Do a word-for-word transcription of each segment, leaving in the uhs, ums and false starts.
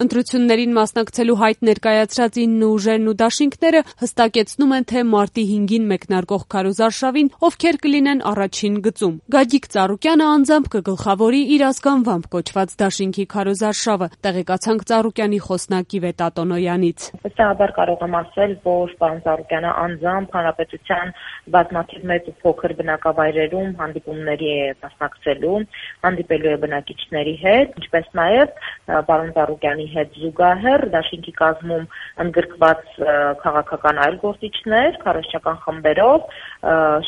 Ընտրություններին մասնակցելու հայտ ներկայացրած ինը ուժերն ու դաշինքները հստակեցնում են, թե մարտի հինգին մեկնարկող քարոզարշավին ովքեր կլինեն առաջին գծում։ Գագիկ Ծառուկյանը անձամբ կգլխավորի իր ազգանվամբ կոչված դաշինքի քարոզարշավը, տեղեկացանք Ծառուկյանի խոսնակ Իվետ Ատոնոյանից։ Վստահաբար կարող եմ ասել, որ պարոն Ծառուկյանը անձամբ հանրապետության բազմաթիվ մեծ ու փոքր բնակավայրերում հանդիպումների է մասնակցելու, հանդիպելու է բնակիչների հետ, ինչպես նաև պարոն Ծառուկյանի հետ զուգահեռ դաշինքի կազմում ընդգրկված քաղաքական այլ գործիչներ քարոզչական խմբերով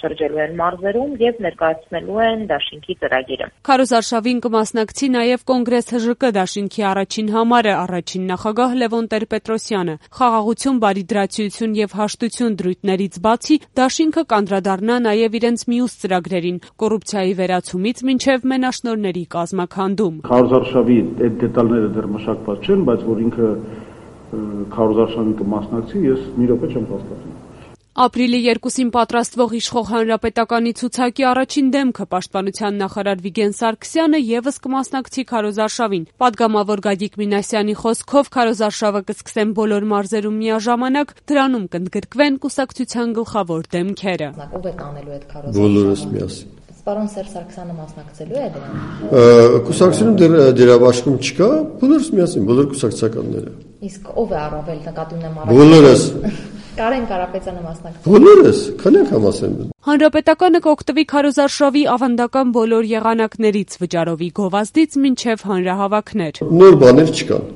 շրջելու են մարզերում եւ ներկայացնելու են դաշինքի ծրագիրը։ Քարոզարշավին կմասնակցի նաև Կոնգրես ՀԺԿ դաշինքի առաջին համարը, առաջին նախագահ Լևոն Տեր-Պետրոսյանը։ Խաղաղություն, բարիդրացիություն եւ հաշտություն դրույթներից բացի դաշինքը կանդրադառնա նաև իրենց մյուս ծրագրերին՝ կոռուպցիայի վերացումից մինչև մենաշնորհների կազմաքանդում։ Քարոզարշավի այդ դետալները դեռ մշակված չեն, բայց որ ինքը քարոզարշավին կմասնակցի, ես մի րոպե չեմ հասկացում։ Ապրիլի երկուսին պատրաստվող իշխող հանրապետականի ցուցակի առաջին դեմքը պաշտպանության նախարար Վիգեն Սարգսյանը եւս կմասնակցի քարոզարշավին։ Պատգամավոր Գագիկ Մինասյանի խոսքով քարոզարշավը կսկսեն բոլոր մարզերում միաժամանակ, դրանում կընդգրկվեն կուսակցության գլխավոր դեմքերը։ Ով է կանելու այդ քարոզարշավը։ Բոլորս միասին։ Պարոն Սերժ Սարգսյանը մասնակցելու է դրան։ Կուսակցությունում դեռ դերավաշխում չկա, բոլորս միասին, բոլոր կուսակցականները։ Իսկ ով է առավել նկատի ունեմ առավել։ Բոլորս։ Կարեն Կարապետյանը մասնակցել։ Բոլորս, քանենք համասեն։ Հանրապետականը կօգտվի քարոզարշավի ավանդական բոլոր եղանակներից, վճարովի գովազդից մինչև հանրահավաքներ։ Նոր բաներ չկան։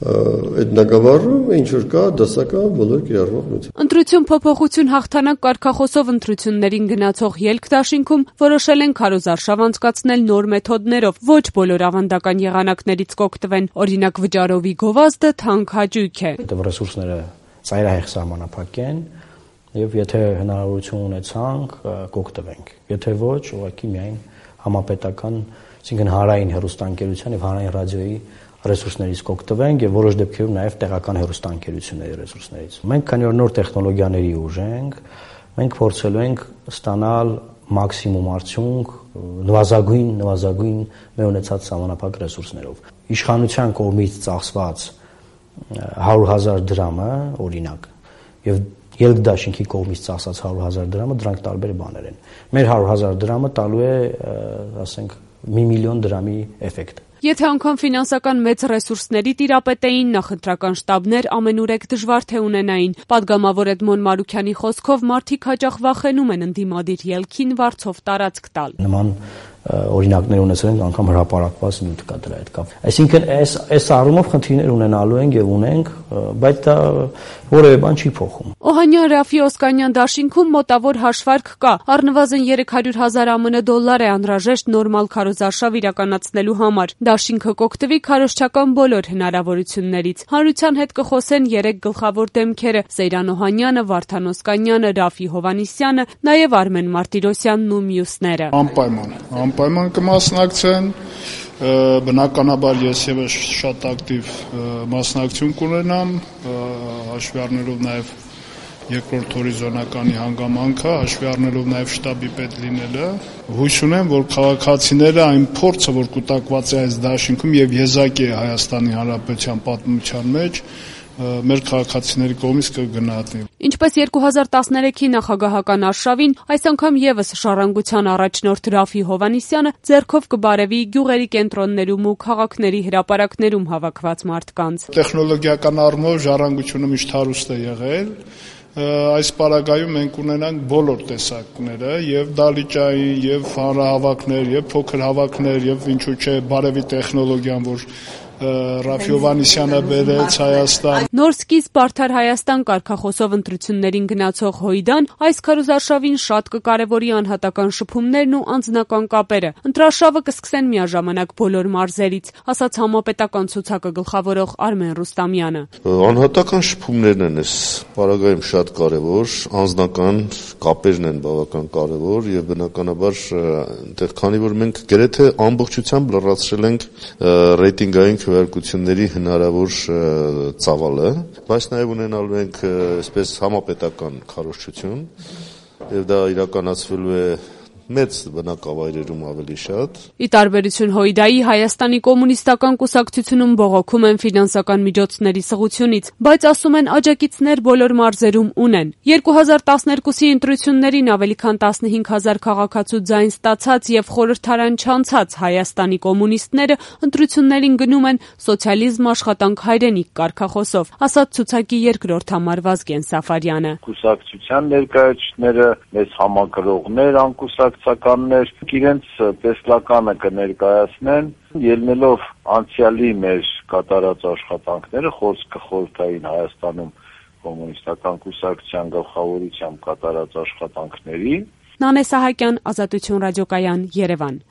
Այդ նկավարում ինչ որ կա դասական բոլոր կիրառվող նյութեր։ Ընտրություն փոփոխություն հաղթանակ կարգախոսով ընտրություններին գնացող ելք դաշինքում որոշել են քարոզարշավ անցկացնել նոր մեթոդներով, ոչ բոլոր ավանդական եղանակներից կօգտվեն, օրինակ վճարովի գովազդը թանկ հաճույք է։ Այդ ռեսուրսները ծայրահեղ սահմանափակ են եւ եթե հնարավորություն ունեցանք կօգտվենք, եթե ոչ, ուղղակի միայն համապետական, այսինքն հանրային հեռուստաընկերության եւ հանրային ռադիոյի ռեսուրսներից կօգտվենք եւ որոշ դեպքերում նաեւ տեղական հեռուստաընկերությունների ռեսուրսներից։ Մենք քանի որ նոր տեխնոլոգիաների ուժ ենք, մենք փորձելու ենք ստանալ մաքսիմում արդյունք նվազագույն նվազագույն մեր ունեցած սահմանափակ ռեսուրսներով։ Իշխանության կողմից ծախսված հարյուր հազար դրամը, օրինակ, եւ ելք դաշինքի կողմից ծախսած հարյուր հազար դրամը, դրանք տարբեր բաներ են։ Մեր հարյուր հազար դրամը տալու է, ասենք, մի միլիոն դրամի էֆեկտ։ Եթե անգամ ֆինանսական մեծ ռեսուրսների տիրապետեին, նախընտրական շտաբներ ամենուրեք դժվար թե ունենային։ Պատգամավոր Էդմոն Մարուքյանի խոսքով մարդիկ հաճախ վախենում են ընդդիմադիր ելքին վարձով տարածք տալ։ Նման օրինակներ ունեցել ենք, անգամ հրապարակված նյութ կա դրա հետ կապ։ Այսինքն այս այս առումով խնդիրներ ունենալու ենք եւ ունենք, բայց դա որևէ բան չի փոխում։ Օհանյան Ռաֆի Օսկանյան դաշինքում մոտավոր հաշվարկ կա։ Առնվազն երեք հարյուր հազար ԱՄՆ դոլար է անհրաժեշտ նորմալ քարոզարշավ իրականացնելու համար։ Դաշինքը կօգտվի քարոզչական բոլոր հնարավորություններից։ Հանրության հետ կխոսեն երեք գլխավոր դեմքերը՝ Սեյրան Օհանյանը, Վարդան Օսկանյանը, Ռաֆի Հովհաննիսյանը, նաև Արմեն Մարտիրոսյանն ու մյուսները։ Անպայման, անպայման կմասնակցեն, բնականաբար ես եւս շատ ակտիվ մասնակցություն կունենամ, հաշվի առնելով նաև երկրորդ հորիզոնականի հանգամանքը, հաշվի առնելով նաև շտաբի պետ լինելը, հույս ունեմ, որ քաղաքացիները այն փորձը, որ կուտակված է այս դաշինքում եւ եզակի է Հայաստանի Հանրապետության պատմության մեջ, մեր քաղաքացիների կողմից կգնահատվի։ Ինչպես երկու հազար տասներեքի նախագահական արշավին, այս անգամ եւս ժառանգության առաջնորդ Ռաֆի Հովհաննիսյանը ձեռքով կբարևի գյուղերի կենտրոններում ու քաղաքների հրապարակներում հավաքված մարդկանց։ Տեխնոլոգիական առումով ժառանգությունը միշտ հարուստ է եղել։ Այս պարագայում մենք ունենանք բոլոր տեսակները, եւ դալիճային, եւ հանրահավաքներ, եւ փոքր հավաքներ, եւ ինչու՞ չէ բարևի տեխնոլոգիան, որ Ռաֆի Հովհաննիսյանը բերեց Հայաստան։ Նոր սկիզբ Արդար Հայաստան կարգախոսով ընտրություններին գնացող Հույդան այս քարոզարշավին շատ կկարևորի անհատական շփումներն ու անձնական կապերը։ Ընտրարշավը կսկսեն միաժամանակ բոլոր մարզերից, ասաց համապետական ցուցակը գլխավորող Արմեն Ռուստամյանը։ Անհատական շփումներն են այս պարագայում շատ կարևոր, անձնական կապերն են բավական կարևոր եւ բնականաբար այնտեղ քանի որ մենք գրեթե ամբողջությամբ լրացրել ենք ռեյտինգային քվեարկությունների հնարավոր ծավալը, բայց նաև ունենալու ենք այսպես համապետական քարոզչություն եւ դա իրականացվելու է մեծ բնակավայրերում ավելի շատ։ Ի տարբերություն ՀՅԴ-ի, Հայաստանի կոմունիստական կուսակցությունում բողոքում են ֆինանսական միջոցների սղությունից, բայց ասում են աջակիցներ բոլոր մարզերում ունեն։ երկու հազար տասներկուսի ընտրություններին ավելի քան տասնհինգ հազար քաղաքացու ձայն ստացած եւ խորհրդարան չանցած Հայաստանի կոմունիստները ընտրություններին գնում են սոցիալիզմ աշխատանք հայրենիք կարգախոսով, ասաց ցուցակի երկրորդ համար Վազգեն Սաֆարյանը։ Կուսակցության ներկայացուցիչները, մեծ համակրողներ, անկուսակցականներ իրենց տեսլականը կներկայացնեն, ելնելով անցյալի մեր կատարած աշխատանքները խորհրդային Հայաստանում կոմունիստական կուսակցության գլխավորությամբ կատարած աշխատանքների։ Նանե Սահակյան, Ազատություն ռադիոկայան, Երևան։